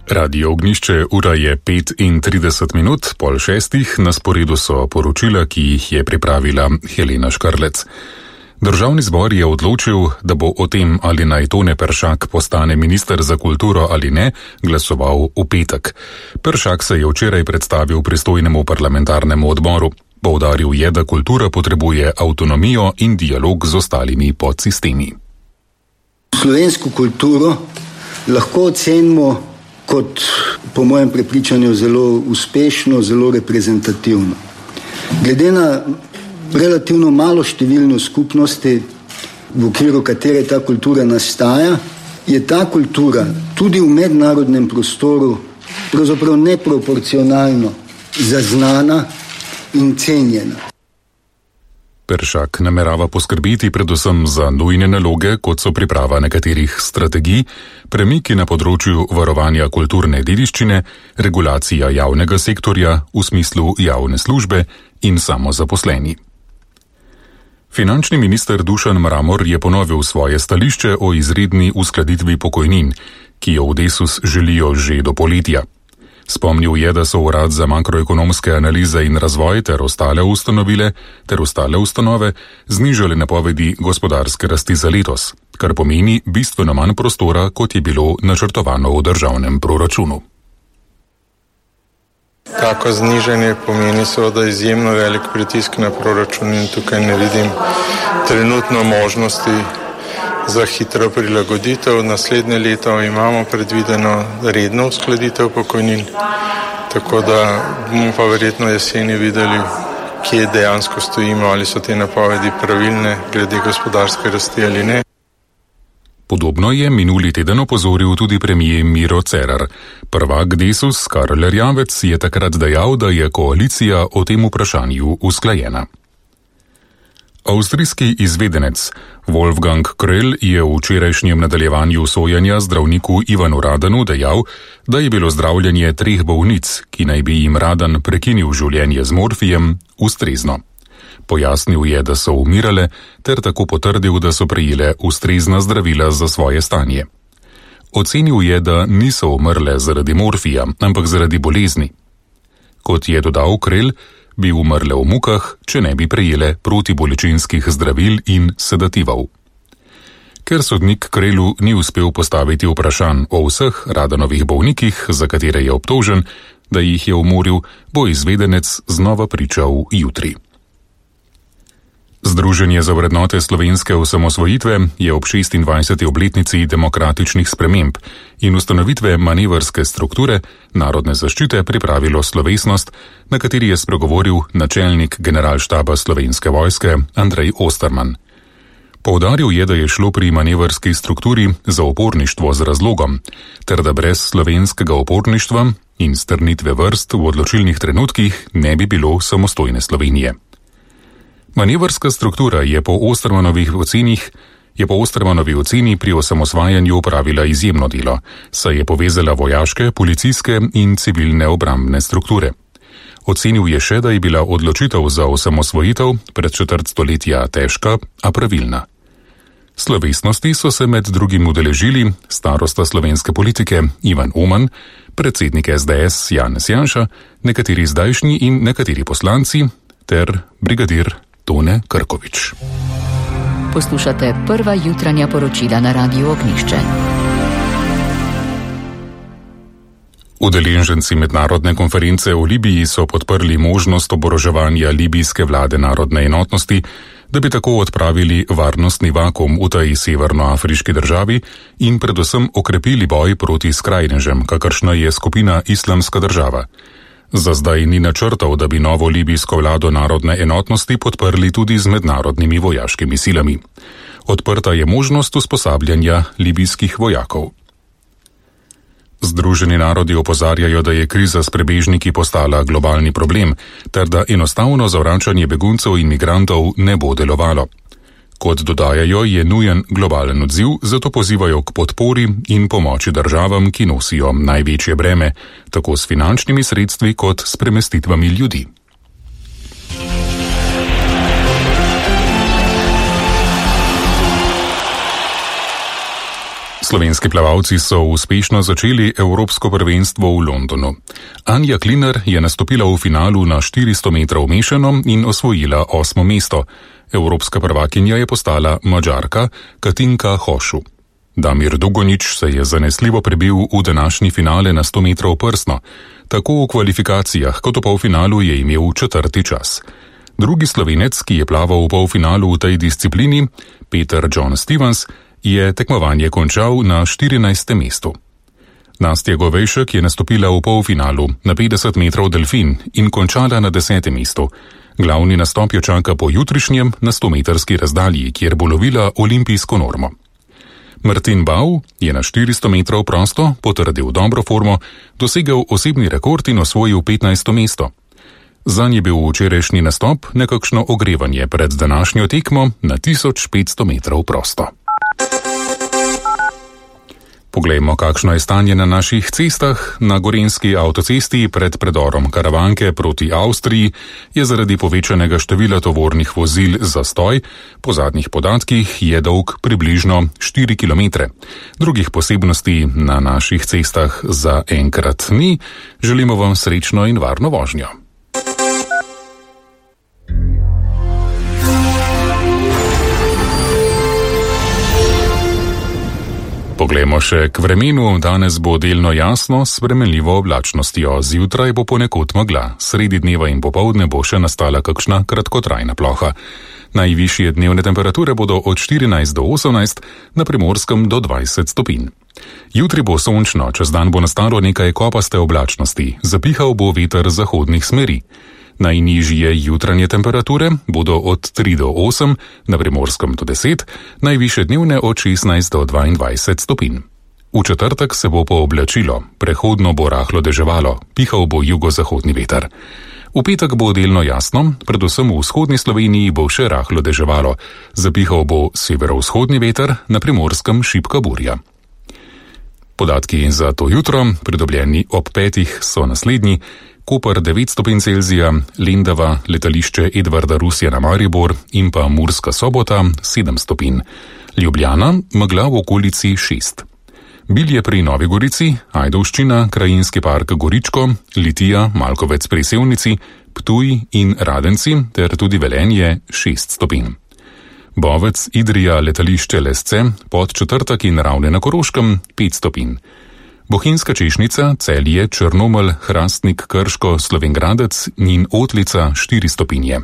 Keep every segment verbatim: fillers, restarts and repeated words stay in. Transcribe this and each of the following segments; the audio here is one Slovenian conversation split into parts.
Radio Ognjišče, ura je pet in trideset minut, pol šestih, na sporedu so poročila, ki jih je pripravila Helena Škarlec. Državni zbor je odločil, da bo o tem, ali naj Tone Peršak postane minister za kulturo ali ne, glasoval v petek. Peršak se je včeraj predstavil pristojnemu parlamentarnemu odboru. Poudaril je, da kultura potrebuje avtonomijo in dialog z ostalimi podsistemi. Slovensko kulturo lahko ocenimo kot, po mojem prepričanju, zelo uspešno, zelo reprezentativno. Glede na relativno malo številno skupnosti, v okviru katere ta kultura nastaja, je ta kultura tudi v mednarodnem prostoru pravzaprav neproporcionalno zaznana in cenjena. Peršak namerava poskrbeti predvsem za nujne naloge, kot so priprava nekaterih strategij, premiki na področju varovanja kulturne dediščine, regulacija javnega sektorja v smislu javne službe in samozaposleni. Finančni minister Dušan Mramor je ponovil svoje stališče o izredni uskladitvi pokojnin, ki jo v Desus želijo že do poletja. Spomnil je, da so Urad za makroekonomske analize in razvoj ter ostale ustanovile ter ostale ustanove znižali napovedi gospodarske rasti za letos, kar pomeni bistveno manj prostora, kot je bilo načrtovano v državnem proračunu. Tako znižanje pomeni seveda izjemno velik pritisk na proračun in tukaj ne vidim trenutno možnosti za hitro prilagoditev. Naslednje leto imamo predvideno redno uskladitev pokojnin, tako da bomo pa verjetno jeseni videli, kje dejansko stojimo, ali so te napovedi pravilne glede gospodarske rasti ali ne. Podobno je minuli teden opozoril tudi premier Miro Cerar. Prvak Desus Karl Erjavec je takrat dejal, da je koalicija o tem vprašanju usklajena. Avstrijski izvedenec Wolfgang Kröll je v včerajšnjem nadaljevanju sojenja zdravniku Ivanu Radanu dejal, da je bilo zdravljenje treh bolnic, ki naj bi jim Radan prekinil življenje z morfijem, ustrezno. Pojasnil je, da so umirale, ter tako potrdil, da so prejele ustrezna zdravila za svoje stanje. Ocenil je, da niso umrle zaradi morfija, ampak zaradi bolezni. Kot je dodal Kröll, bi umrle v mukah, če ne bi prejele protibolečinskih zdravil in sedativov. Ker sodnik Krölu ni uspel postaviti vprašanj o vseh Radanovih bolnikih, za katere je obtožen, da jih je umoril, bo izvedenec znova pričal jutri. Združenje za vrednote slovenske osamosvojitve je ob šestindvajseti obletnici demokratičnih sprememb in ustanovitve manevrske strukture narodne zaščite pripravilo slovesnost, na kateri je spregovoril načelnik generalštaba Slovenske vojske Andrej Osterman. Poudaril je, da je šlo pri manevrski strukturi za oporništvo z razlogom, ter da brez slovenskega oporništva in strnitve vrst v odločilnih trenutkih ne bi bilo samostojne Slovenije. Manevrska struktura je po Ostermanovih ocenih, je po Ostermanovi oceni pri osamosvajanju opravila izjemno delo, saj je povezala vojaške, policijske in civilne obrambne strukture. Ocenil je še, da je bila odločitev za osamosvojitev pred četrt stoletja težka, a pravilna. Slovesnosti so se med drugim udeležili starosta slovenske politike Ivan Oman, predsednik S D S Janez Janša, nekateri zdajšnji in nekateri poslanci ter brigadir Tone Krkovič. Poslušate prva jutranja poročila na Radiu Ognjišče. Udeleženci mednarodne konference o Libiji so podprli možnost oboroževanja libijske vlade narodne enotnosti, da bi tako odpravili varnostni vakuum v tej severnoafriški državi in predvsem okrepili boj proti skrajnežem, kakršna je skupina Islamska država. Za zdaj ni načrtov, da bi novo libijsko vlado narodne enotnosti podprli tudi z mednarodnimi vojaškimi silami. Odprta je možnost usposabljanja libijskih vojakov. Združeni narodi opozarjajo, da je kriza s prebežniki postala globalni problem, ter da enostavno zavračanje beguncev in migrantov ne bo delovalo. Kot dodajajo, je nujen globalen odziv, zato pozivajo k podpori in pomoči državam, ki nosijo največje breme, tako s finančnimi sredstvi kot s premestitvami ljudi. Slovenski plavalci so uspešno začeli evropsko prvenstvo v Londonu. Anja Klinar je nastopila v finalu na štiristo metrov mešano in osvojila osmo mesto. Evropska prvakinja je postala Madžarka Katinka Hošu. Damir Dugonič se je zanesljivo prebil v današnji finale na sto metrov prsno. Tako v kvalifikacijah kot v polfinalu je imel četrti čas. Drugi Slovenec, ki je plaval v polfinalu v tej disciplini, Peter John Stevens, je tekmovanje končal na štirinajstem mestu. Nastja Govejšek je nastopila v polfinalu na petdeset metrov delfin in končala na desetem mestu. Glavni nastop jo čaka po jutrišnjem na stometrski razdalji, kjer bo lovila olimpijsko normo. Martin Bau je na štiristo metrov prosto potrdil dobro formo, dosegel osebni rekord in osvojil petnajsto mesto. Zanj je bil včerajšnji nastop nekakšno ogrevanje pred današnjo tekmo na tisoč petsto metrov prosto. Poglejmo, kakšno je stanje na naših cestah. Na gorenjski avtocesti pred predorom Karavanke proti Avstriji je zaradi povečanega števila tovornih vozil zastoj. Po zadnjih podatkih je dolg približno štiri kilometre. Drugih posebnosti na naših cestah za enkrat ni. Želimo vam srečno in varno vožnjo. Poglejmo še k vremenu. Danes bo delno jasno s spremenljivo oblačnostjo. Zjutraj bo ponekod megla. Sredi dneva in popoldne bo še nastala kakšna kratkotrajna ploha. Najvišje dnevne temperature bodo od štirinajst do osemnajst, na Primorskem do dvajset stopinj. Jutri bo sončno, čez dan bo nastalo nekaj kopaste oblačnosti. Zapihal bo veter zahodnih smeri. Najnižje jutranje temperature bodo od tri do osem, na Primorskem do deset, najvišje dnevne od šestnajst do dvaindvajset stopinj. V četrtek se bo pooblačilo, prehodno bo rahlo deževalo, pihal bo jugozahodni veter. V petek bo delno jasno, predvsem v vzhodni Sloveniji bo še rahlo deževalo, zapihal bo severovzhodni veter, na Primorskem šibka burja. Podatki za to jutro, pridobljeni ob petih, so naslednji. Koper devet stopinj Celzija, Lendava, letališče Edvarda Rusjana Maribor in pa Murska Sobota sedem stopinj. Ljubljana, megla v okolici šest. Bilje pri Novi Gorici, Ajdovščina, Krajinski park Goričko, Litija, Malkovec pri Sevnici, Ptuj in Radenci ter tudi Velenje šest stopinj. Bovec, Idrija, letališče Lesce, Podčetrtek in Ravne na Koroškem pet stopinj. Bohinjska Češnica, Celje, Črnomelj, Hrastnik, Krško, Slovenj Gradec in Otlica štiri stopinje.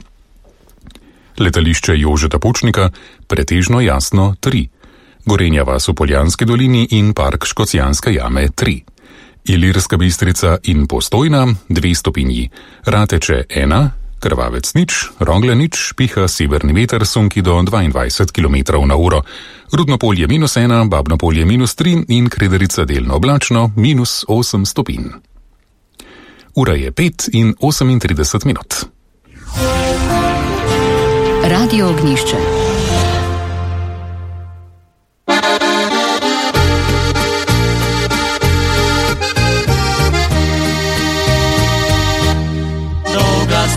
Letališče Jožeta Pučnika, pretežno jasno tri. Gorenja vas v Poljanski dolini in park Škocjanske jame tri. Ilirska Bistrica in Postojna dve stopinji. Rateče ena, Krvavec nič, Rogle nič, piha severni veter sunki do dvaindvajset kilometrov na uro. Rudno polje minus ena, Babno polje minus tri in Krederica delno oblačno minus osem stopinj. Ura je pet in osemintrideset minut. Radio Ognjišče.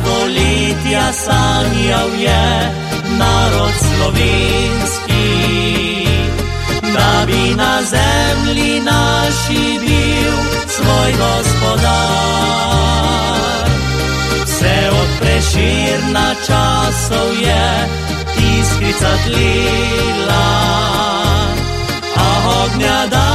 Stoletja sanjal je narod slovenski, da bi na zemlji naši bil svoj gospodar. Vse od Prešerna časov je iskrica tlila, a ognja da